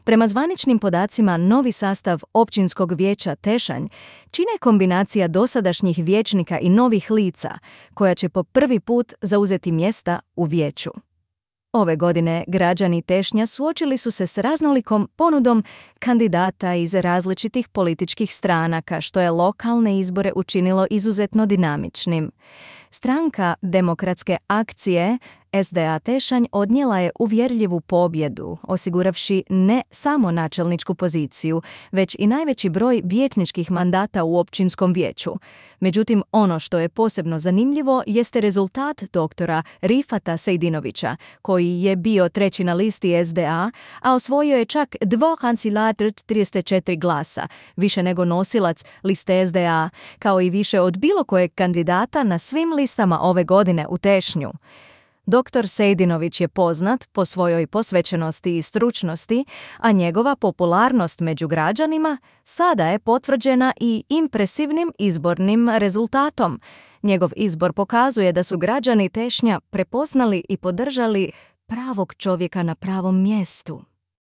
Prema zvaničnim podacima, novi sastav općinskog vijeća Tešanj čine kombinacija dosadašnjih vijećnika i novih lica, koja će po prvi put zauzeti mjesta u vijeću. Ove godine građani Tešnja suočili su se s raznolikom ponudom kandidata iz različitih političkih stranaka, što je lokalne izbore učinilo izuzetno dinamičnim. Stranka Demokratske akcije SDA Tešanj odnijela je uvjerljivu pobjedu, osiguravši ne samo načelničku poziciju, već i najveći broj vijećničkih mandata u općinskom vijeću. Međutim, ono što je posebno zanimljivo jeste rezultat doktora Rifata Sejdinovića, koji je bio treći na listi SDA, a osvojio je čak 2,34 glasa, više nego nosilac liste SDA, kao i više od bilo kojeg kandidata na svim listama ove godine u Tešnju. Dr. Sejdinović je poznat po svojoj posvećenosti i stručnosti, a njegova popularnost među građanima sada je potvrđena i impresivnim izbornim rezultatom. Njegov izbor pokazuje da su građani Tešnja prepoznali i podržali pravog čovjeka na pravom mjestu.